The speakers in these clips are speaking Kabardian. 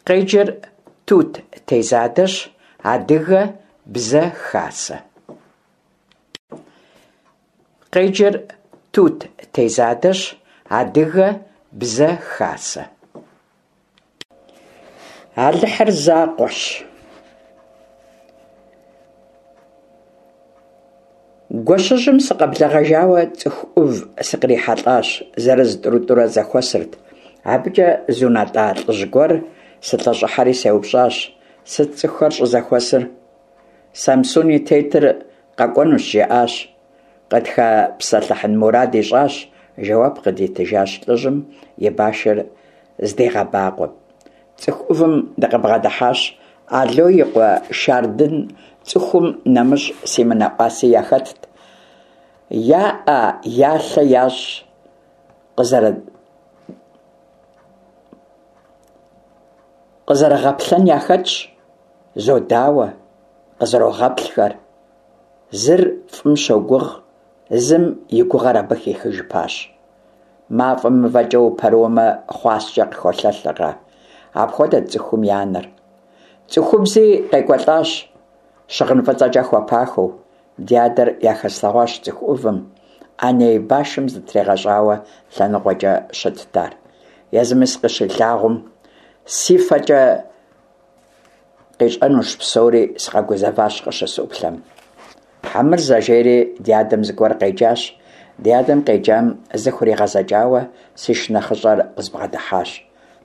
Къеджэр Тут Тезадэщ, Адыгэ бзэ хасэ. Къеджэр Тут Тезадэщ, Адыгэ бзэ хасэ. Алыхьыр закъуэщ. Гуэщыжьым сыкъэблэгъэжауэ цӏыху ӏув сыкърихьэлӏащ, зырыз-тӏурытӏурэ зэхуэсырт. Абыкӏэ зунэтӏа лӏыжь гуэр сылъэщӏыхьэри сеупщӏащ: Сыт цӏыхухэр щӏызэхуэсыр? Самсун и тетыр къэкӏуэнущ, жаӏащ. Къытхэпсэлъыхьын мурад ищӏащ, жэуап къыдитыжащ лӏыжьым и башыр здигъэбакъуэм. Цӏыху ӏувым дыкъыбгъэдыхьащ. Ало и къуэ Шардын сцӏыхум нэмыщӏ си мынэӏуаси яхэтт. Я ӏэ, я лъэ ящӏ къызэрыгъэплъэн яхэтщ, зодауэ, къызэрогъэплъхэр. Зыр фӏым щогугъ, зым и гугъэр абы хихыжыпащ. Мафӏэм мывэкӏэ упэрыуэмэ, хъуаскӏэ къыхолъэлъыркъэ? Апхуэдэт цӏыхум я нэр. Цӏыхубзи къекӏуэлӏащ, щыгъын фӏыцӏэкӏэ хуэпахэу. Ди адэр яхэслъэгъуащ цӏыху ӏувым. ӏэней башым зытригъэщӏауэ лъэныкъуэкӏэ щытт ар. Езыми сыкъыщилъагъум, си фэкӏэ Къищӏэнущ псори, сыкъэгузэващ къыщысӏуплъэм. Хьэмырзэ, жери ди адэм зыгуэр къеджащ. Ди адэм къеджам зыхуригъэзэкӏауэ си шынэхъыщӏэр къызбгъэдыхьащ.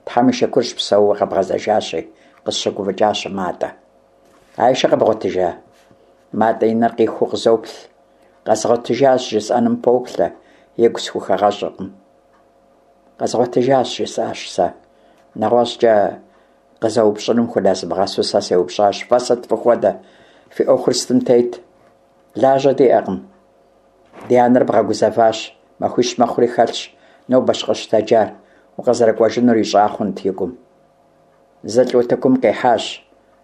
Тхьэм и шыкурщ псэууэ къэбгъэзэжащи, къысщыгуфӏыкӏащ Матӏэ. Айшэ къэбгъуэтыжа? Матӏэ и нэр къихуу къызоплъ. Къэзгъуэтыжащ жысӏэным поплъэ, игу схухэгъэщӏыркъым. Къэзгъуэтыжащ, жысӏащ сэ. Нэгъуэщӏкӏэ Къызэупщӏыным хунэзмыгъэсу сэ сеупщӏащ, Фэ сыт фыхуэдэ? Фи ӏуэхур сытым тет? Лажьэ диӏэкъым. Ди анэр бгъэгузэващ, махуищ мэхъури хэлъщ, нобэщ къыщытэджар, укъызэрыкӏуэжынур ищӏа хъунт и гум. Зылӏ утыкум къихьащ,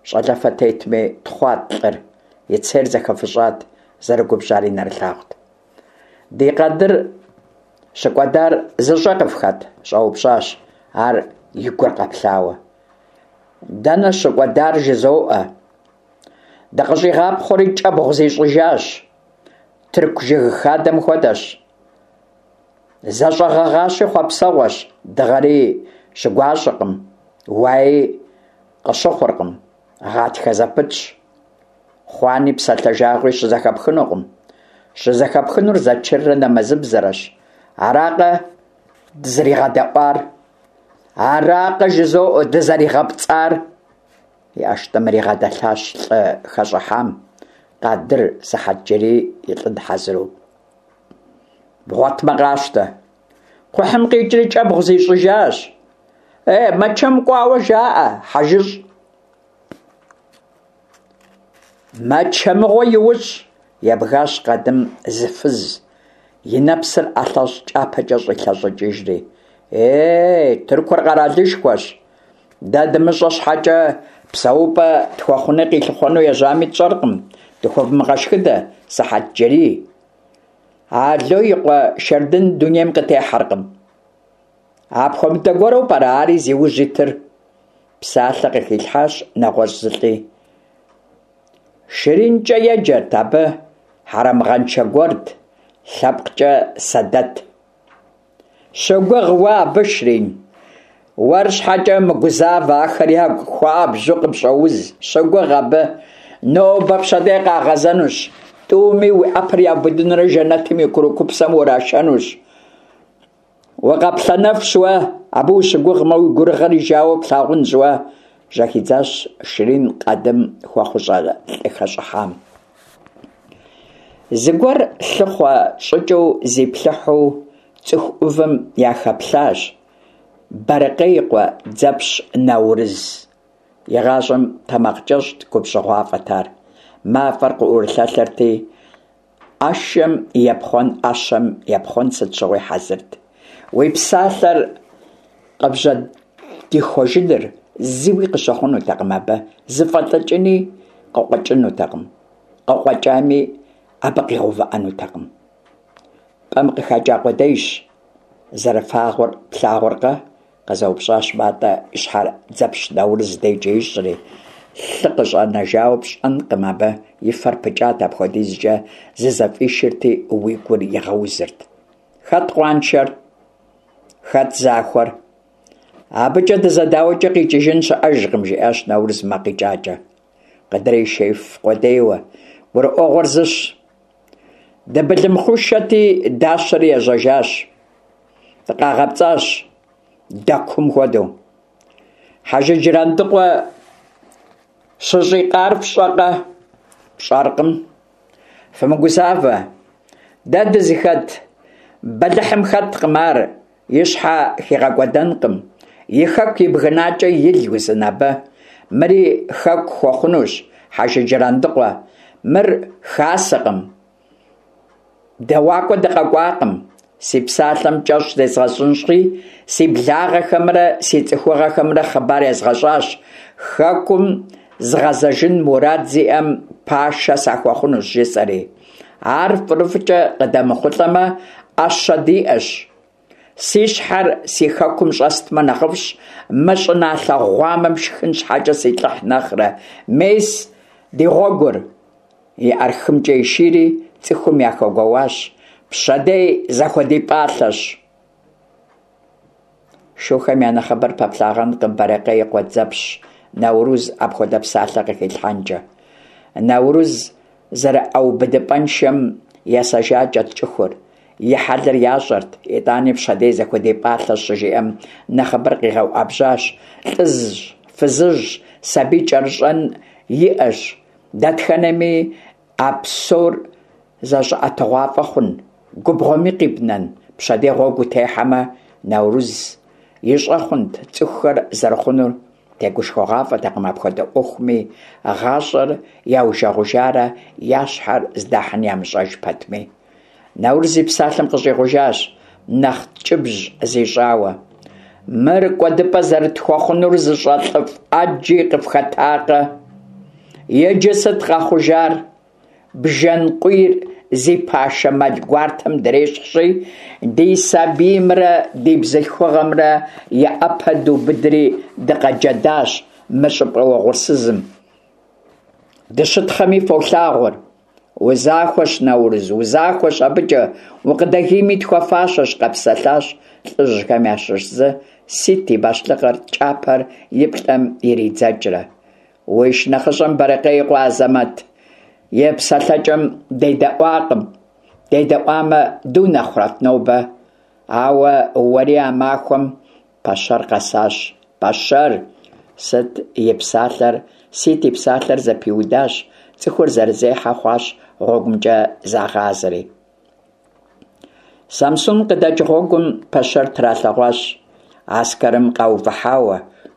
щӏалэфэ тетми, тхъуат лӏыр, и цейр зэхэфыщӏат, зэрыгубжьари нэрылъагъут. Ди къадыр щыкӏуэдар зыщӏэ къыфхэт? щӏэупщӏащ ар и гур къэплъауэ. Дэнэ щыкӏуэдар жызоӏэ. Дыкъыщӏигъапхъуэри кӏэбгъу зищӏыжащ. Тырку жыг хадэм хуэдэщ. Зэщӏэгъэгъащи хъуэпсэгъуэщ, дыгъэри щыгуащӏэкъым, уаи къыщыхъуркъым, гъатхэ зэпытщ. Хъуани псалъэ жагъуи щызэхэпхынукъым. Щызэхэпхынур зэчыррэ нэмэзыбзэрэщ. Аракъэ дызэригъэдэӏуар? Аракъэ жызоӏэ дызэригъэпцӏар? И ӏэштӏымыр игъэдэлъащ лӏы хэщӏыхьам, Къадыр Сыхьэтджэрий илӏын хьэзыру. Бгъуэтмэ къащтэ. Кхъухьым къикӏри кӏэбгъу зищӏыжащ. Е, Мэчэм кӏуауэ жаӏэ, хьэжыщӏ. Мэчэ мыгъуэ иущӏ, ебгащ къадым зы фыз, и нэпсыр ӏэлъэщӏ кӏапэкӏэ щӏилъэщӏыкӏыжри. Ей, Тыркур къэралышхуэщ. Дэ дымыщӏэ щхьэкӏэ псэупӏэ тхуэхъуни къилъыхъуэну ежьами тщӏэркъым. Дыхуэвмыгъэшхыдэ, Сыхьэтджэрий. Ало и къуэ Шэрдын дунейм къытехьэркъым. Апхуэмыдэ гуэру пӏэрэ ари зи ужь итыр? Псалъэ къыхилъхьащ нэгъуэщӏ зылӏи. Ширинкӏэ еджэрт абы, хьэрэмыгъэншэ гуэрт, лъэпкъкӏэ сэдэт. Щыгугъ уэ абы, Ширин. Уэр щхьэкӏэ мыгузавэ, ахэр ягу хуабжьу къыпщӏоуз. Щыгугъ абы. Нобэ пщэдей къагъэзэнущ. Тӏуми уи ӏэпэр яубыдынурэ жэнэтым и курыкупсэм урашэнущ. Укъэплъэнэфщ уэ, абы ущыгугъмэ, уи гурыгъэр ижауэ плъагъунщ уэ, жьэхидзащ Ширин къадым хуэхъущӏэ лӏы хэщӏыхьам. Зыгуэр лъыхъуэ щӏыкӏэу зиплъыхьу цӏыху ӏувым яхэплъащ Бэрыкъей и къуэ Дзэпщ Наурыз. Игъащӏэм тэмакъкӏэщӏт, губжьыгъуафӏэт ар. Мафӏэр къыӏурылъэлъырти, ӏэшэм епхъуэн, ӏэщэм епхъуэн сыт щыгъуи хьэзырт. Уи псалъэр къыбжьэдихуэжыныр зыуи къыщыхъунутэкъым абы, зыфӏэлӏыкӏыни къыкъуэкӏынутэкъым, къыкъуэкӏами абы къигъэувыӏэнутэкъым. Пӏэм къыхэкӏа къудейщ, зэрыфагъуэр плъагъуркъэ? Къызэупщӏащ Матӏэ, и щхьэр Дзэпщ Наурыз дежкӏэ ищӏри. Лъы къыщӏэнэжауэ пщӏэнкъым абы, и фэр пыкӏат, апхуэдизкӏэ зызэфӏишырти, уи гур игъэузырт. Хэт къуаншэр? Хэт захуэр? Абыкӏэ дызэдауэкӏэ къикӏыжын щыӏэжкъым, жиӏащ Наурыз макъ икӏакӏэ. Къыдрешеиф къудейуэ. Гурыӏуэгъуэр зыщ. Дыбылымхъушэти, дащэри ежьэжащ. Дыкъагъэпцӏащ, дэкум хуэдэу. Хьэжы Джырандыкъуэ щыщӏикъар фщӏэкъэ? Пщӏэркъым. Фымыгузавэ. Дэ дызыхэт бэлыхьым хэткъым ар, и щхьэ хигъэкӏуэдэнкъым. И хэку ибгынакӏэ ил узын абы. Мыри хэку хуэхъунущ Хьэжы Джырандыкъуэ. Мыр хасэкъым. Дэуакӏуэ дыкъэкӏуакъым. Си псалъэм кӏэщӏ зезгъэщӏынщи, си благъэхэмрэ си цӏыхугъэхэмрэ хъыбар езгъэщӏащ, хэкум згъэзэжын мурад зиӏэм пашэ сахуэхъунущ, жысӏэри. Ар фӏырыфӏкӏэ къыдэмыхъулӏэмэ, ӏэщэ диӏэщ. Си щхьэр си хэкум щӏэстмэ нэхъыфӏщ, мы щӏыналъэ гъуамэм шхын щхьэкӏэ силӏыхь нэхърэ. Мес ди гъуэгур! И ӏэр хымкӏэ ишийри, цӏыхум яхэгуэуащ, Пщэдей зэхуэдипӏалъэщ. Шухэм я нэхъыбэр пэплъагъэнкъым Бэрэкъей и къуэ Дзэпщ Наурыз апхуэдэ псалъэ къыхилъхьэнкӏэ. Наурыз зэрыӏэубыдыпӏэншэм есэжакӏэт цӏыхур, и хьэлыр ящӏэрт, итӏани пщэдей зэхуэдипӏалъэщ щыжиӏэм нэхъыбэр къигъэуӏэбжьащ, лӏыжь, фызыжь, сабий кӏэрыщӏэн иӏэщ, Дэтхэнэми а псор зэщӏэӏэтыгъуафӏэ хъун, губгъуэми къибнэн, пщэдей гъуэгу утехьэмэ, Наурыз ищӏэ хъунт цӏыхухэр зэрыхъунур, тегушхуэгъуафӏэтэкъым апхуэдэ ӏуэхуми, гъащӏэр яужэгъужарэ я щхьэр здахьын ямыщӏэж пэтми. Наурыз и псалъэм къыщӏигъужащ, нэхъ ткӏыбжь зищӏауэ. Мыр кӏуэдыпӏэ зэрытхуэхъунур зыщӏэ лӏыфӏ ӏэджи къыфхэтакъэ? Иджы сыт къэхъужар? Бжэн къуийр зи пашэ мэл гуартэм дрещхьщи, ди сабиймрэ ди бзылъхугъэмрэ я ӏэпэ дубыдри дыкъэджэдащ мы щӏыпӏэ уэгъурсызым. Дыщытхъэми фолъагъур. Узахуэщ, Наурыз, узахуэщ абыкӏэ, укъыдэгийми тхуэфащэщ, къэпсэлъащ лӏыжьхэм ящыщ зы, Сит и бащлъыкъыр кӏапэр и плӏэм иридзэкӏрэ. Уи шынэхъыщӏэм Бэрэкъей и къуэ Азэмэт и псэлъэкӏэм дедэӏуакъым. Дедэӏуамэ, дунэхъурэт нобэ. Ауэ уэри а махуэм Пэщэр къэсащ. Пэщэр! Сыт и псалъэр, Сит и псалъэр зэпиудащ, цӏыхур зэрызехьэ хъуащ гъуэгумкӏэ загъазэри. Самсун къыдэкӏ гъуэгум пэщэр тралъэгъуащ, аскэрым къаувыхьауэ,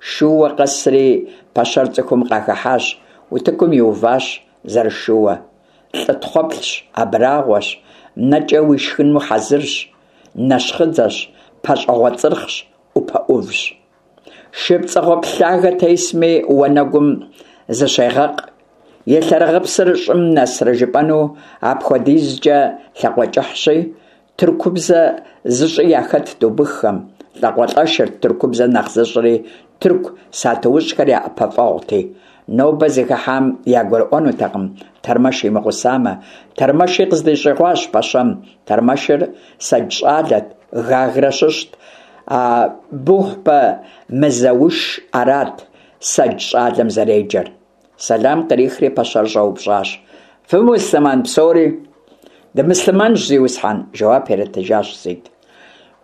шууэ къэсри пэщэр цӏыхум къахыхьащ, утыкум иуващ зэрышууэ. Лӏы тхъуэплъщ, абрагъуэщ, нэкӏэ уишхыну хьэзырщ, Нэщхъыдзэщ, пащӏэгъуэ цӏырхъщ, ӏупэ ӏувщ. Шы пцӏэгъуэплъ лъагэ тесми, уанэгум зыщегъэкъ. И лъэрыгъыпсыр щӏым нэсрэ жыпӏэну апхуэдизкӏэ лъакъуэкӏыхьщи, тыркубзэ зыщӏи яхэтт убыххэм, лӏакъуэлӏэшырт тыркубзэ нэхъ зыщӏри, тырку сатуущӏхэр я ӏэпэфӏэгъути. Нобэ зыхыхьам ягурыӏуэнутэкъым тэрмэш имыгъусамэ. Тэрмэши къыздищӏигъуащ пэщэм. Тэрмэшыр сэдж щӏалэт, Гагрэ щыщт. Абухъбэ Мызэуш арат сэдж щӏалэм зэреджэр. Сэлам кърихри пэщэр щӏэупщӏащ. Фымуслъымэн псори? Дымуслъымэнщ, зиусхьэн, жэуап иритыжащ Сит.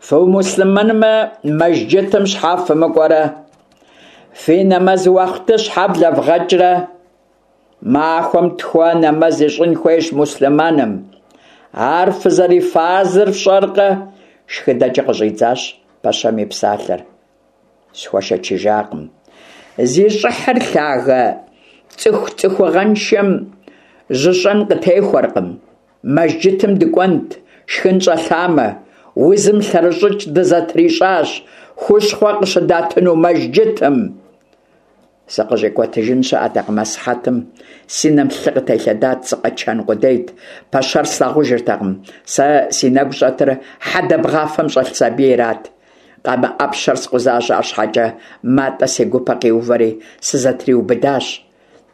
Фымуслъымэнмэ, мэжджытым щхьэ фымыкӏуэрэ? Фи нэмэз уахъты щхьэ блэвгъэкӏрэ? Махуэм тхуэ нэмэз ищӏын хуейщ муслъымэным. Ар фызэрифарзыр фщӏэркъэ? Шхыдэкӏэ къыщӏидзащ пэщэм и псалъэр. Схуэшэчыжакъым. Зи щӏыхьыр лъагэ цӏыху цӏыхугъэншэм жьыщӏэн къытехуэркъым. Мэжджытым дыкӏуэнт, шхын щӏэлъамэ. Узым лъэрыщӏыкӏ дызэтрищӏащ, хущхъуэ къыщыдатыну мэжджытым. Сыкъыщӏикӏуэтыжын щыӏэтэкъым асыхьэтым. Си нэм лъы къытелъэдат, сыкъэчэн къудейт. Пэщэр слъагъужыртэкъым. Сэ си нэгу щӏэтыр хьэдэ бгъафэм щӏэлъ сабийрат. Къамэ ӏэпщэр скъузащ, арщхьэкӏэ Матӏэ си гупэ къиувэри сызэтриубыдащ.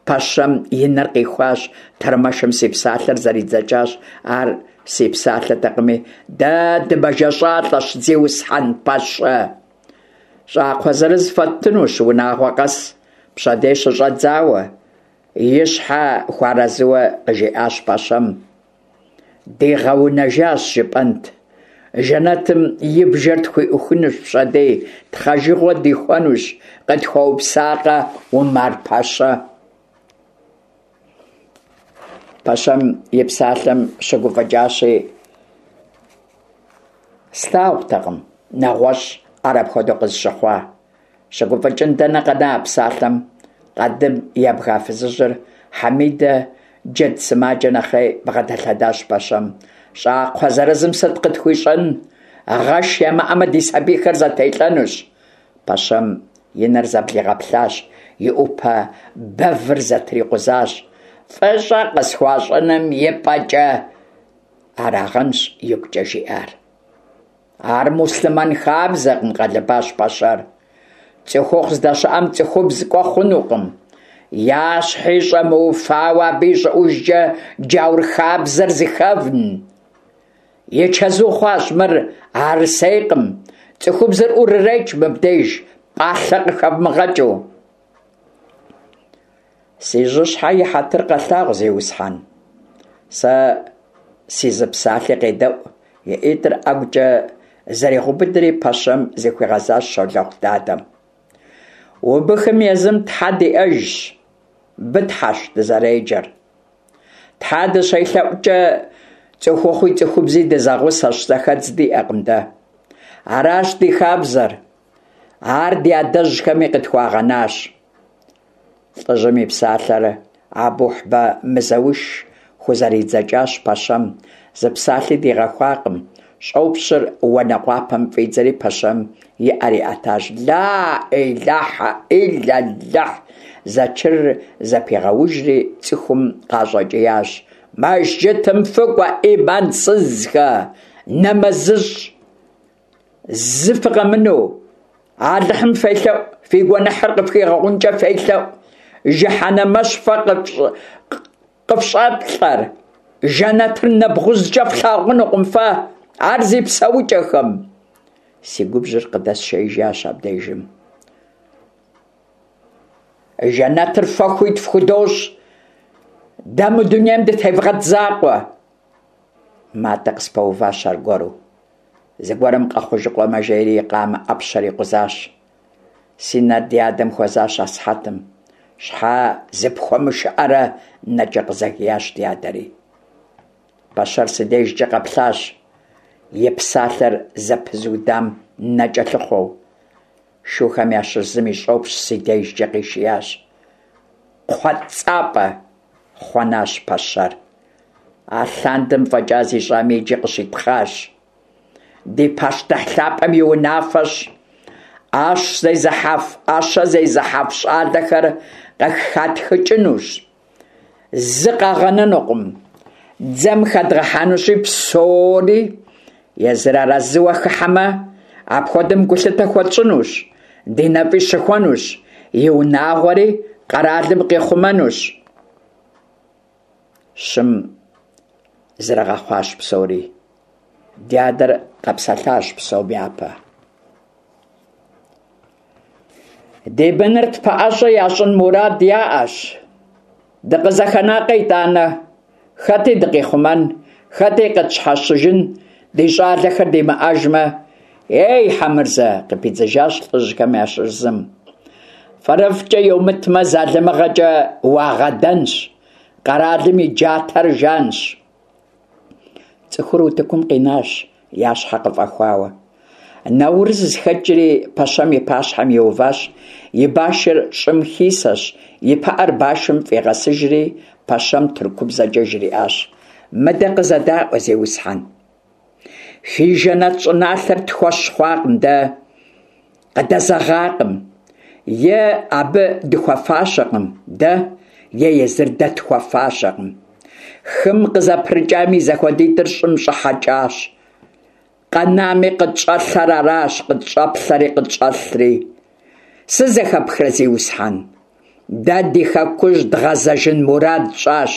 Пэщэм и нэр къихуащ, тэрмэшым си псалъэр зэридзэкӏащ, ар си псалъэтэкъыми, дэ дымэжэщӏалӏэщ, зиусхьэн пэщэ! Щӏакхъуэ зырыз фэттынущ унагъуэ къэс, пщэдей щыщӏэдзауэ, и щхьэ хуарэзыуэ къыжиӏащ пэщэм. Дигъэунэжащ жыпӏэнт. Жэнэтым и бжэр тхуиӏухынущ пщэдей, тхъэжыгъуэ дихуэнущ, къытхуэупсакъэ Умар-пэщэ. Пэщэм и псалъэм щыгуфӏыкӏащи, слъагъутэкъым нэгъуэщӏ ар апхуэдэу къызыщыхъуа. Щыгуфӏыкӏын дэнэ къэна а псалъэм къадым ебга фызыжьыр Хьэмидэ джэд сымаджэ нэхъей бгъэдэлъэдащ пэщэм. Щӏакхъуэ зырызым сыт къытхуищӏэн? Гъэш ямыӏэмэ, ди сабийхэр зэтелӏэнущ. Пэщэм и нэр зэблигъэплъащ, и ӏупэ бэвыр зэтрикъузащ. Фӏыщӏэ къысхуащӏыным и пӏэкӏэ арагъэнщ игукӏэ жиӏар. Ар муслъымэн хабзэкъым, къэлыбащ пэщэр. Цӏыхухъу здэщыӏэм цӏыхубз кӏуэ хъунукъым. Я щхьи щӏэмыуфауэ абы ищӏыӏужкӏэ джаур хабзэр зыхэвн. И чэзу хъуащ мыр Арсейкъым. Цӏыхубзыр ӏурырекӏ мыбдеж, пӏалъэ къыхэвмыгъэкӏыу. Си жьыщхьэ и хьэтыр къэлъагъу, зиусхьэн. Сэ си зы псалъи къедэӏу, и ӏитӏыр ӏэгукӏэ зэригъэубыдри пэщэм зыхуигъэзащ щолэхъу дадэм. Убыхым езым тхьэ диӏэжщ, Бытхьэщ дызэреджэр. Тхьэ дыщелъэӏукӏэ цӏыхухъуи цӏыхубзи дызэгъусэщ, зэхэдз диӏэкъым дэ. Аращ ди хабзэр. Ар ди адэжьхэми къытхуагъэнащ. Лӏыжьым и псалъэр Абухьбэ Мызэуш хузэридзэкӏащ пэщэм, зы псалъи дигъэхуакъым. Щӏопщыр уанэкъуапэм фӏидзэри пэщэм и ӏэр иӏэтащ. Ла ӏилахьэ ӏиллэллэхь! Зэчырыр зэпигъэужри цӏыхум къащӏэкӏиящ. Мэжджытым фыкӏуэ, ӏимансызхэ! Нэмэзыщӏ! Зы фыкъэмынэу, Алыхьым фелъэӏу, фи гуэныхьыр къыфхигъэгъункӏэ фелъэӏу. Жыхьэнэмэщ фэ къыфщӏэплӏэр, жэнэтыр нэбгъузкӏэ флъагъунукъым фэ, ар зи псэукӏэхэм. Си губжьыр къыдэсшеижащ абдежым. Жэнэтыр фэ хуит фхудощӏ, дэ мы дунейм дытевгъэт закъуэ. Матӏэ къыспэуващ аргуэру. Зыгуэрым къэхъужыкъуэмэ, жери и къамэ ӏэпщэр икъузащ. Си нэр ди адэм хуэзащ асыхьэтым. Щхьэ зыпхуэмышыӏэрэ? нэкӏэ къызэгиящ ди адэри. Пэщэр си дежкӏэ къэплъащ, и псалъэр зэпызудам нэкӏэ лъыхъуэу. Шухэм ящыщ зым и щӏопщ си дежкӏэ къишиящ. Кхъуэцӏапӏэ! хъуэнащ пэщэр. Алъандэм фӏэкӏа зищӏами иджы къыщитхъащ. Ди пащтыхь лъапӏэм и унафэщ. ӏэщ зезыхьэф, ӏэщэ зезыхьэф щӏалэхэр къыхатхыкӏынущ. Зы къагъэнэнукъым. Дзэм хэдгъэхьэнущи, псори езыр арэзыуэ хыхьэмэ, апхуэдэм гулъытэ хуэтщӏынущ, ди нэфӏи щыхуэнущ, и унагъуэри къэралым къихъумэнущ. Щым зэрыгъэхъуащ псори. Ди адэр къэпсэлъащ псом япэ. Ди быныр тпэӏэщӏэ ящӏын мурад яӏэщ. Дыкъызэхэнакъэ итӏанэ? Хэти дыкъихъумэн, хэти къытщхьэщыжын ди щӏалэхэр димыӏэжмэ? Ей, Хьэмырзэ, къыпидзыжащ лӏыжьхэм ящыщ зым. Фӏырыфӏкӏэ йомытмэ, залымыгъэкӏэ уагъэдэнщ. Къэралым и джатэр жанщ. Цӏыхур утыкум къинащ, я щхьэ къыфӏэхуауэ. Наурыз хэкӏри пэщэм и пащхьэм иуващ, и башыр щӏым хисэщ, и пыӏэр башым фӏигъэсыжри, пэщэм тыркубзэкӏэ жриӏащ: Мыдэ къызэдаӏуэ, зиусхьэн. Фи жэнэт щӏыналъэр тхуэщ хъуакъым дэ, къыдэзэгъакъым. Е абы дыхуэфащэкъым дэ, е езыр дэ тхуэфащэкъым. Хым къызэпрыкӏам и зэхуэдитӏыр щӏым щӏыхьэкӏащ. Къэнами къытщӏэлъэр аращ, къытщӏэплъэри къытщӏэлъри. Сызэхэпхрэ, зиусхьэн? Дэ ди хэкужь дгъэзэжын мурад тщӏащ.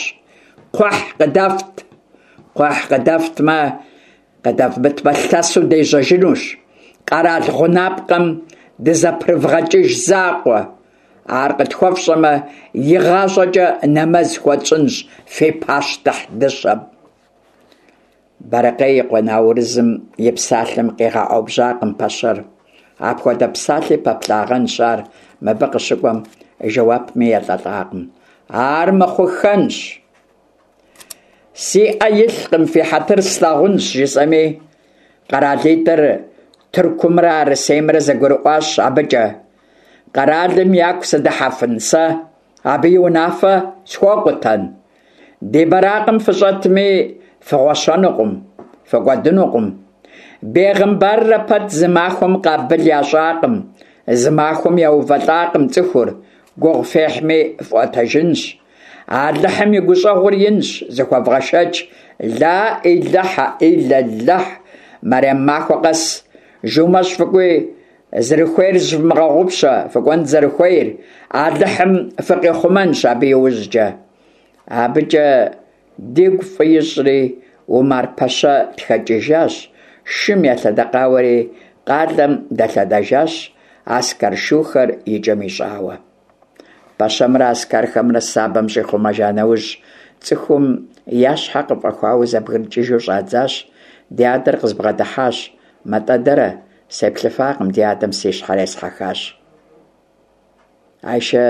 Кхъухь къыдэфт. Кхъухь къыдэфтмэ, къыдэвмытмэ, лъэсу дежьэжынущ. Къэрал гъунапкъэм дызэпрывгъэкӏыж закъуэ. Ар къытхуэфщӏэмэ, игъащӏэкӏэ нэмэз хуэтщӏынщ фи пащтыхь дыщэм. Бэрэкъей и къуэ Наурызым и псалъэм къигъэӏэубжьакъым пэщэр. Апхуэдэ псалъи пэплъагъэнщ ар мыбы къыщыкӏуэм, жэуапми елӏэлӏакъым. Ар мыхъухэнщ. Си ӏэ илъкъым, фи хьэтыр слъагъунщ, жысӏэми, къэралитӏыр Тыркумрэ Арысеймрэ зэгурыӏуащ абыкӏэ. Къэралым яку сыдыхьэфын сэ, абы и унафэ схуэкъутэн? Ди бэракъым фыщӏэтми, фыгъуэщэнукъым, фыкӏуэдынукъым. Бегъымбаррэ пэт зы махуэм къабыл ящӏакъым, зы махуэм яувэлӏакъым цӏыхур, гугъу фехьми фӏуэтэжынщ. Алыхьым и гущӏэгъур инщ, зыхуэвгъэшэч, Ла ӏилэхьэ ӏиллэлэхь, мэрем махуэ къэс жумэщӏ фыкӏуи, зэрыхуейр зыщывмыгъэгъупщэ, фыкӏуэн зэрыхуейр, Алыхьым фыкъихъумэнщ абы иужькӏэ. Абыкӏэ дигу фӏы ищӏри, Умар-пэщэ тхэкӏыжащ, шым елъэдэкъауэри, къалэм дэлъэдэжащ, аскэр шухэр и кӏэм ищӏауэ. Пэщэмрэ аскэрхэмрэ сабэм щӏихъумэжа нэужь, цӏыхум я щхьэ къыфӏэхуауэ зэбгрыкӏыжу щӏадзащ. Ди адэр къызбгъэдыхьащ. Мэтӏэ дэрэ? Сеплъыфакъым, ди адэм си щхьэр есхьэхащ. Айшэ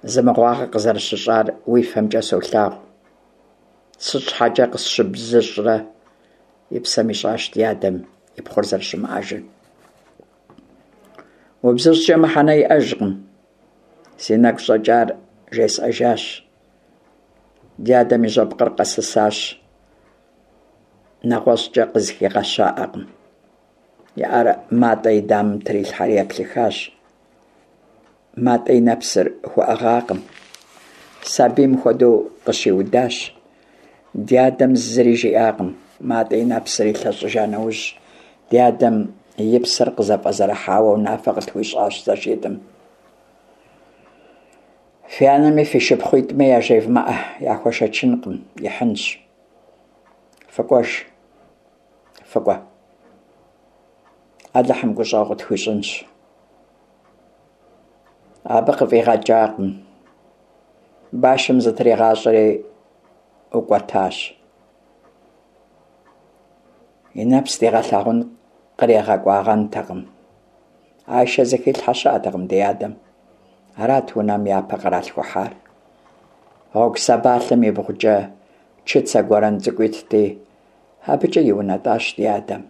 зы мыгъуагъэ къызэрыщыщӏар уи фэмкӏэ солъагъу. Сыт щхьэкӏэ къысщыбзыщӏрэ? И псэм ищӏащ ди адэм и пхъур зэрыщымыӏэжыр. Убзыщӏкӏэ мыхьэнэ иӏэжкъым. Си нэгу щӏэкӏар жесӏэжащ. Ди адэм и жьэпкъыр къэсысащ. Нэгъуэщӏкӏэ къызыхигъэщаӏэкъым. И ӏэр Матӏэ и дамэм трилъхьэри еплъыхащ. Матӏэ и нэпсыр хуэӏыгъакъым. Сабийм хуэдэу къыщиудащ. Ди адэм зыри жиӏакъым. Матӏэ и нэпсыр илъэщӏыжа нэужь, ди адэм и псэр къызэфӏэзэрыхьауэ унафэ къытхуищӏащ зэшитӏым. Фи анэми фи шыпхъуитӏми яжевмыӏэ, яхуэшэчынкъым, ихьынщ. Фыкӏуэж, фыкӏуэ. Алыхьым гущӏэгъу къытхуищӏынщ. Абы къыфӏигъэкӏакъым. Башым зытригъащӏэри ӏукӏуэтащ. И нэпс дигъэлъагъун къригъэкӏуагъэнтэкъым. Айшэ зыхилъхьэ щыӏэтэкъым ди адэм. Арат унэм япэ къралъхухьар. Гъуэгу сабалъэм ибгъукӏэ чыцэ гуэрэн цӏыкӏу итти, абыкӏэ иунэтӏащ ди адэм.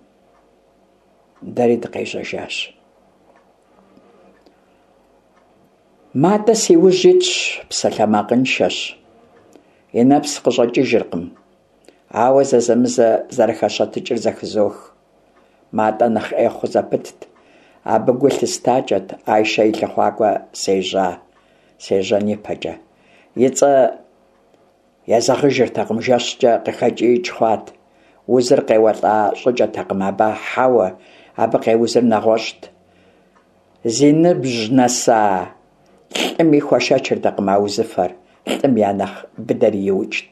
Дэри дыкъежьэжащ. Матӏэ си ужь итщ, псалъэмакъыншэщ. И нэпс къыщӏэкӏыжыркъым, ауэ зэзэмызэ зэрыхэщэтыкӏыр зэхызох. Матӏэ нэхъ ӏей хъу зэпытт. Абы гу лъыстакӏэт Айшэ и лъыхъуакӏуэ сежьа, сежьэн ипэкӏэ. И цӏэ Езэгъыжыртэкъым, жэщкӏэ къыхэкӏиикӏ хъуат. Узыр къеуэлӏа щӏыкӏэтэкъым абы, хьэуэ, абы къеузыр нэгъуэщӏт. Зи ныбжь нэса лӏыми хуэшэчыртэкъым а узыфэр, лӏым я нэхъ быдэри иукӏт.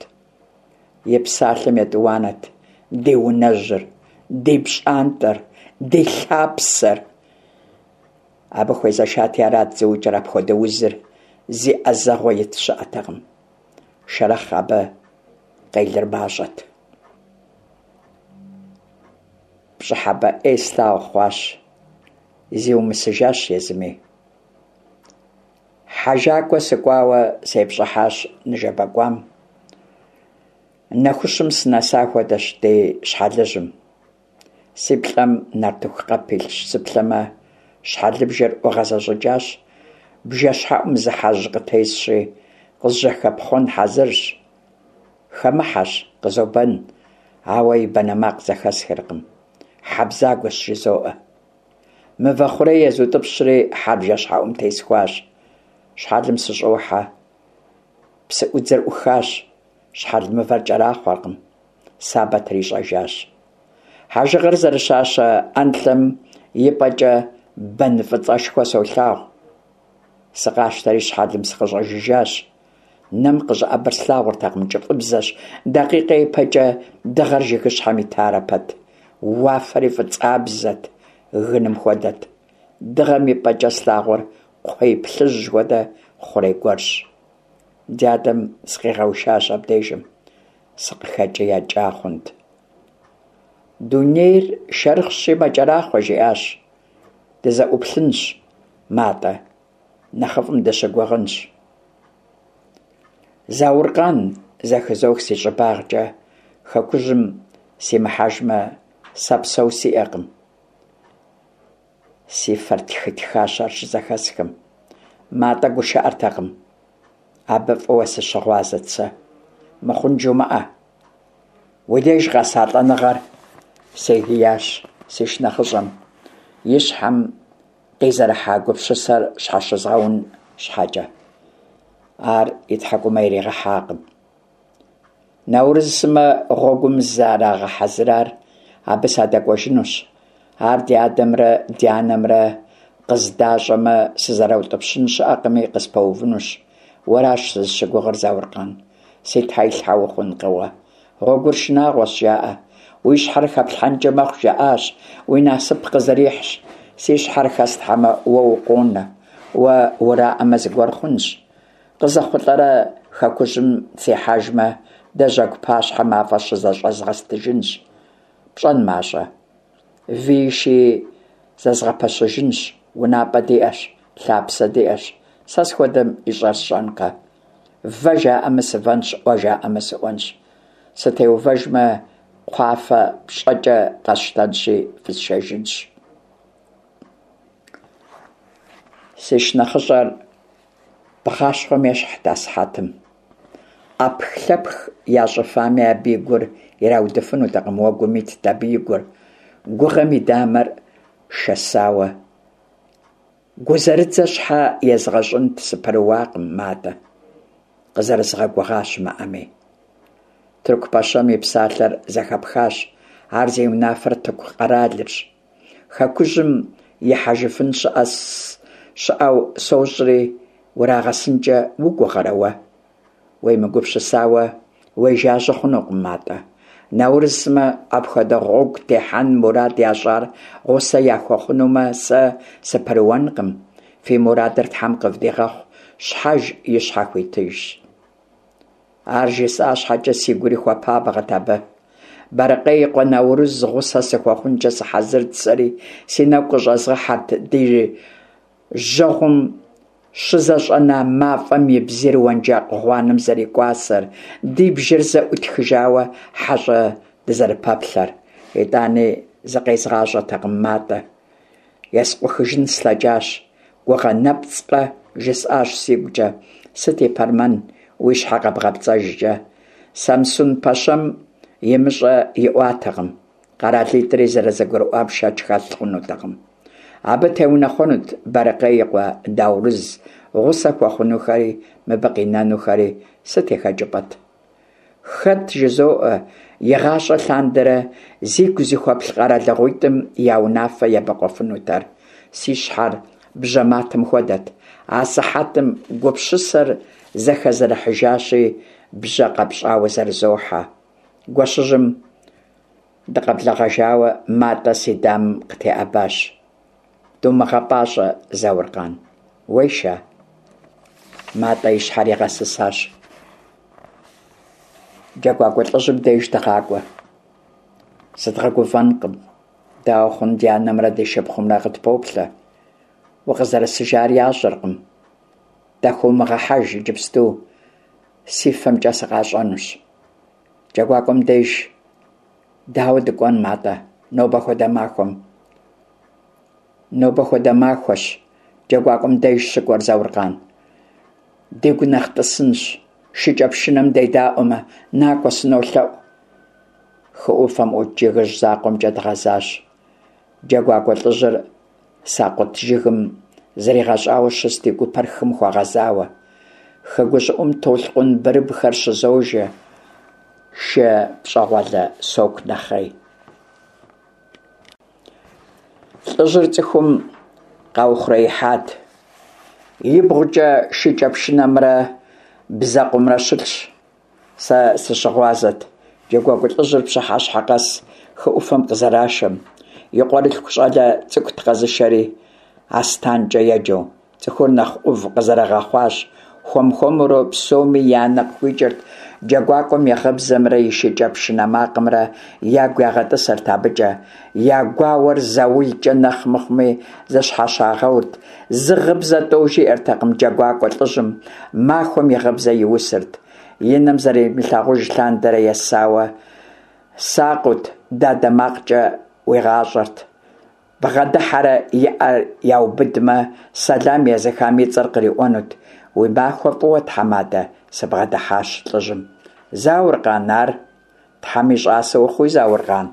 И псалъэм етӏуанэт ди унэжьыр, ди пщӏантӏэр, ди лъапсэр. Абы хуезэшати арат зыукӏыр апхуэдэ узыр зи ӏэзэгъуэ ит щыӏэтэкъым. Шэрэхъ абы къелыр мащӏэт. Пщӏыхьэпӏэ ӏей слъагъу хъуащ, зиумысыжащ езыми. Хьэжакӏуэ сыкӏуауэ сепщӏыхьащ ныжэбэ кӏуам. Нэхущым сынэса хуэдэщ ди щхьэлыжьым. Си плӏэм нартыху къэп илъщ, сыплъэмэ, щхьэлыбжэр ӏугъэзэщӏыкӏащ, бжэщхьэӏум зы хьэжь къытесщи, къызжьэхэпхъуэн хьэзырщ. Хэмыхьэщ, къызобэн, ауэ и банэ макъ зэхэсхыркъым. Хьэ бзагуэщ, жызоӏэ. Мывэ хъурей езутӏыпщри, хьэр бжэщхьэӏум тесхуащ. Щхьэлым сыщӏохьэ. Псыӏудзэр ӏухащ, щхьэл мывэр кӏэрахъуэркъым. Сабэ трищӏэжащ. Хьэжыгъэр зэрыщащэ ӏэнлъэм и пӏэкӏэ бэн фӏыцӏэшхуэ солъагъу. Сыкъащтэри щхьэлым сыкъыщӏэжыжащ. Нэм къыщӏэӏэбэр слъагъуртэкъым, кӏыфӏыбзэщ, дакъикъэ ипэкӏэ дыгъэр жыгыщхьэм итарэ пэт. Уафэри фӏыцӏабзэт, гыным хуэдэт. Дыгъэм и пӏэкӏэ слъагъур кхъуей плъыжь хуэдэ хъурей гуэрщ. Ди адэм сыкъигъэушащ абдежым, сыкъыхэкӏиякӏа хъунт. Дунейр шэрхъщи мэкӏэрахъуэ, жиӏащ. Дызэӏуплъынщ, Матӏэ, нэхъыфӏым дыщыгугъынщ. Зауркъан, зэхызох си щӏыбагъкӏэ, хэкужьым симыхьэжмэ, сэ псэу сиӏэкъым. Си фэр тхытхащ ар щызэхэсхым. Матӏэ гушыӏэртэкъым. Абы фӏыуэ сыщыгъуазэт сэ. Мыхъун жумыӏэ. Уи деж къэса лӏэныгъэр, сегиящ си шынэхъыщӏэм, и щхьэм къизэрыхьа гупсысэр щхьэщызгъэун щхьэкӏэ. Ар и тхьэкӏумэ иригъэхьакъым. Наурыз сымэ гъуэгум зэрагъэхьэзырар абы садэкӏуэжынущ. Ар ди адэмрэ ди анэмрэ къыздащӏэмэ, сызэраутӏыпщын щыӏэкъыми, къыспэувынущ. Уэращ сызыщыгугъыр, Зауркъан. Си тхьэилъхьэ ухъункъэ уэ. Гъуэгур шынагъуэщ, жаӏэ. Уи щхьэр хэплъхьэнкӏэ мэхъу, жаӏащ. Уи насып къызэрихьщ. Си щхьэр хэслъхьэмэ, уэ укъонэ. Уэ ураӏэмэ, зыгуэр хъунщ. Къызэхъулӏэрэ хэкужьым сихьэжмэ, дэ жьэгу пащхьэ мафӏэ щызэщӏэзгъэстыжынщ. Пщӏэн мащӏэ? Вии шыи зэзгъэпэщыжынщ, унапӏэ диӏэщ, лъапсэ диӏэщ. Сэ схуэдэм ищӏэр сщӏэнкъэ? Вэ жаӏэмэ, сывэнщ, ӏуэ жаӏэмэ, сыӏуэнщ. Сытеувэжмэ, кхъуафэ пщӏэкӏэ къэсщтэнщи, фысшэжынщ. Си шынэхъыщӏэр бгъащхъуэм ещхьт асыхьэтым. ӏэпхлъэпх ящӏыфами, абы и гур ираудыфынутэкъым, уэгум итт абы и гур, гугъэм и дамэр шэсауэ. Гузэрыдзэ щхьэ езгъэщӏынт, сыпэрыуакъым, Матӏэ, къызэрызгъэгугъа щымыӏэми. Тырку пэщэм и псалъэр зэхэпхащ, ар зи унафэр Тырку къэралырщ. Хэкужьым ихьэжыфын щыӏэ щыӏэу сощӏри, урагъэсынкӏэ угугъэрэ уэ? Уемыгупсысауэ уежажьэ хъунукъым, Матӏэ. Наурыз сымэ апхуэдэ гъуэгу техьэн мурад ящӏар гъусэ яхуэхъунумэ, сэ сыпэрыуэнкъым. Фи мурадыр Тхьэм къывдигъэхъу, щхьэж и щхьэ хуитыжщ. Ар жысӏа щхьэкӏэ сигури хуэпабгъэт абы. Бэрыкъей и къуэ Наурыз гъусэ сыхуэхъункӏэ сыхьэзырт сэри, си нэгу къыщӏэзгъэхьэрт ди жьэгъум щызэщӏэна мафӏэм и бзийр уэнжакъ гъуанэм зэрикӏуасэр, ди бжэр зэӏутхыжауэ хьэщӏэ дызэрыпэплъэр. Итӏани зыкъезгъащӏэтэкъым Матӏэ. Ескъухыжын слъэкӏащ. Гугъэ нэпцӏкъэ, жысӏащ сигукӏэ, сыт и пэрмэн уи щхьэ къэбгъэпцӏэжкӏэ. Самсун пэщэм имыщӏэ иӏуатэкъым. Къэралитӏри зэрызэгурыӏуам шэч хэлъ хъунутэкъым. Абы теунэхъуэнут Бэрыкъей и къуэ Даурыз, гъусэ хуэхъунухэри, мыбы къинэнухэри сыт и хэкӏыпӏэт? Хэт, жызоӏэ, игъащӏэ лъандэрэ зигу зыхуэплъ къэралыгъуитӏым я унафэ ебэкъуэфынутэр? Си щхьэр бжьэматэм хуэдэт. Асыхьэтым гупсысэр зэхэзэрыхьыжащи, бжьэ къэпщӏауэ зэрызохьэ. Гуэщыжьым дыкъэблэгъэжауэ Матӏэ си дамэм къытеӏэбащ. Думыгъэпӏащӏэ, Зауркъан. Уеша? Матӏэ и щхьэр игъэсысащ. Джэгуакӏуэ лӏыжьым деж дыгъакӏуэ. Зыдгъэгуфӏэнкъым. Дауэ хъун, ди анэмрэ ди шыпхъумрэ къытпоплъэ. Укъызэрысыжар ящӏэркъым. Дахыумыгъэхьэж иджыпсту, си фэмкӏэ сыкъащӏэнущ. Джэгуакӏуэм деж дауэ дыкӏуэн, Матӏэ, нобэ хуэдэ махуэм? Нобэ хуэдэ махуэщ джэгуакӏуэм деж щыкӏуэр, Зауркъан. Дигу нэхъ тӏысынщ, шыкӏэпшынэм дедаӏуэмэ, накӏуэ, сынолъэӏу. Хы ӏуфэм ӏут жыгыжь закъуэмкӏэ дгъэзащ. Джэгуакӏуэ лӏыжьыр сакъут жыгым зригъэщӏауэ щыст и гупэр хым хуэгъэзауэ. Хы гущӏыӏум толъкъун бырыбхэр щызожэ, шы пщӏэгъуалэ соку нэхъей. Лӏыжьыр цӏыхум къаухъуреихьат. Ибгъукӏэ шыкӏэпшынэмрэ бзэкъумрэ щылъщ. Сэ сыщыгъуазэт джэгуакӏуэ лӏыжьыр пщыхьэщхьэ къэс хы ӏуфэм къызэрашэм. И къуэрылъху щӏалэ цӏыкӏут къэзышэри, Астанкӏэ еджэу. Цӏыхур нэхъ ӏув къызэрыгъэхъуащ. Хуэм-хуэмурэ псоми я нэ къыхуикӏырт джэгуакӏуэм и гъыбзэмрэ и шыкӏэпшынэ макъымрэ ягу ягъэтӏысырт абыкӏэ. Я гуауэр заулкӏэ нэхъ мыхъуми зыщхьэщагъэурт. Зы гъыбзэ тӏэу жиӏэртэкъым джэгуакӏуэ лӏыжьым, махуэм и гъыбзэ иусырт. И нэм зэримылъагъуж лъандэрэ есауэ сакъыут, дадэ макъкӏэ уигъащӏэрт. Бгъэдыхьэрэ и ӏэр яубыдмэ, сэлам езыхам и цӏэр къриӏуэнут. Уи махуэ фӏыуэ, тхьэмадэ, сыбгъэдыхьащ лӏыжьым. Зауркъан ар? Тхьэм и щӏасэ ухъуи, Зауркъан.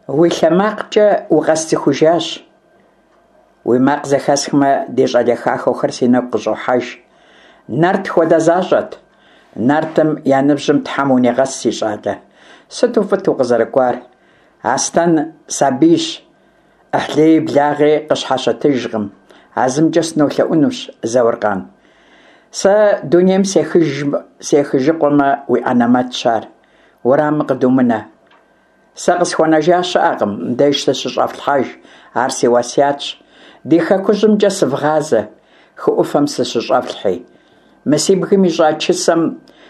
Уи лъэ макъкӏэ укъэсцӏыхужащ. Уи макъ зэхэсхмэ, ди щӏалэ хахуэхэр си нэгу къыщӏохьэж. Нарт хуэдэ защӏэт. Нартым я ныбжьым Тхьэм унигъэс, си щӏалэ. Сыту фӏыт укъызэрыкӏуар. Аслъэн сабийщ, ӏыхьлыи благъи къыщхьэщытыжкъым. А зымкӏэ сынолъэӏунущ, Зауркъан. Сэ дунейм сехыжыкъуэмэ, уи ӏэнэмэтщ ар. Уэрамым къыдумынэ. Сэ къысхуэнэжа щыӏэкъым, мыбдеж сыщыщӏэфлъхьэж, ар си уэсятщ. Ди хэкужьымкӏэ сывгъазэ, хы ӏуфэм сыщыщӏэфлъхьи. Мы си бгым ищӏа чысэм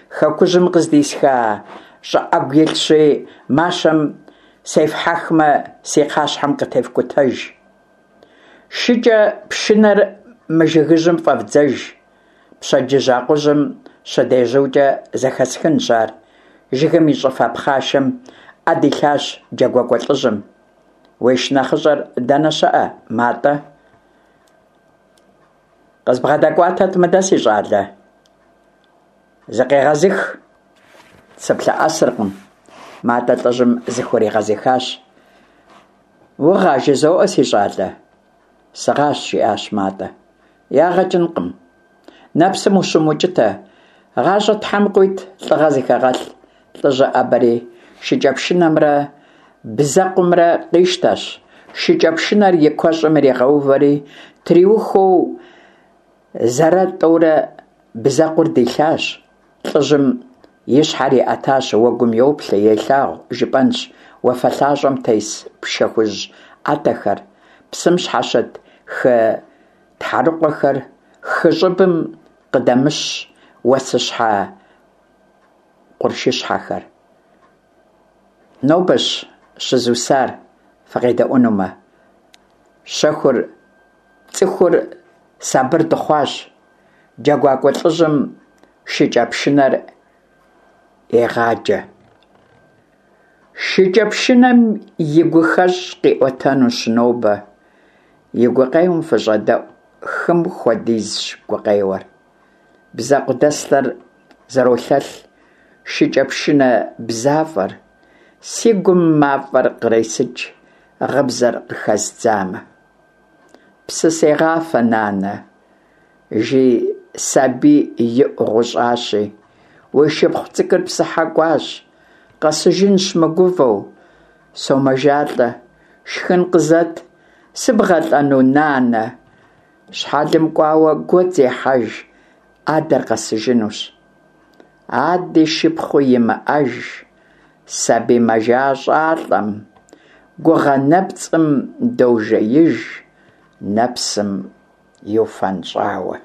хэкужьым къыздисха щӏы ӏэгу илъщи, мащэм сефхьэхмэ, си кхъащхьэм къытефкӏутэж. Шыкӏэ пшынэр мы жыгыжьым фӏэвдзэж. Пщэдджыжь акъужьым щыдежьукӏэ зэхэсхынщ ар. Жыгым и щӏыфэ пхъашэм ӏэ дилъащ джэгуакӏуэ лӏыжьым. Уи шынэхъыщӏэр дэнэ щыӏэ, Матӏэ? Къызбгъэдэкӏуатэт мыдэ, си щӏалэ. Зыкъегъэзых. Сыплъэӏэсыркъым. Матӏэ лӏыжьым зыхуригъэзыхащ. Угъа жызоӏэ, си щӏалэ. Сыгъащ, жиӏащ Матӏэ. Ягъэ кӏынкъым. Нэпсым ущымукӏытэ. Гъащӏэ Тхьэм къуит, лӏыгъэ зыхэгъэлъ. Лӏыжьыр ӏэбэри, шыкӏэпшынэмрэ бзэкъумрэ къищтэщ, шыкӏэпшынэр и куэщӏым иригъэувэри, триухуэу зэрэ-тӏэурэ бзэкъур дилъащ. Лӏыжьым и щхьэр иӏэтащ, уэгум йоплъэ, елъагъу, жыпӏэнщ, уафэ лъащӏэм тес пшэ хужь ӏэтэхэр, псым щхьэщыт хы тхьэрыкъуэхэр, хы щӏыбым къыдэмыщ уэсыщхьэ къуршыщхьэхэр. Нобэщ щызусар, фыкъедэӏуэнумэ. Щэхур, цӏыхур сабыр дыхъуащ. Джэгуакӏуэ лӏыжьым шыкӏэпшынэр егъаджэ. Шыкӏэпшынэм и гухэщӏ къиӏуэтэнущ нобэ. И гукъеуэм фыщӏэдэӏу, хым хуэдизщ гукъеуэр. Бзэкъу дэслъэр зэролъэлъ, шыкӏэпшынэ бзафӏэр, си гум мафӏэр къресыкӏ, гъыбзэр къыхэздзамэ. Псы сегъафэ, нанэ, жи сабий иӏу гъущӏащи, уи шыпхъу цӏыкӏур псыхьэ кӏуащ, къэсыжынщ мыгувэу, сомэжалӏэ, шхын къызэт, сыбгъэлӏэну, нанэ? Щхьэлым кӏуауэ гуэдз ехьэж, адэр къэсыжынущ. Ади шыпхъуи имыӏэж, сабий мэжащӏалӏэм, гугъэ нэпцӏым дожеиж, нэпсым иуфэнщӏауэ.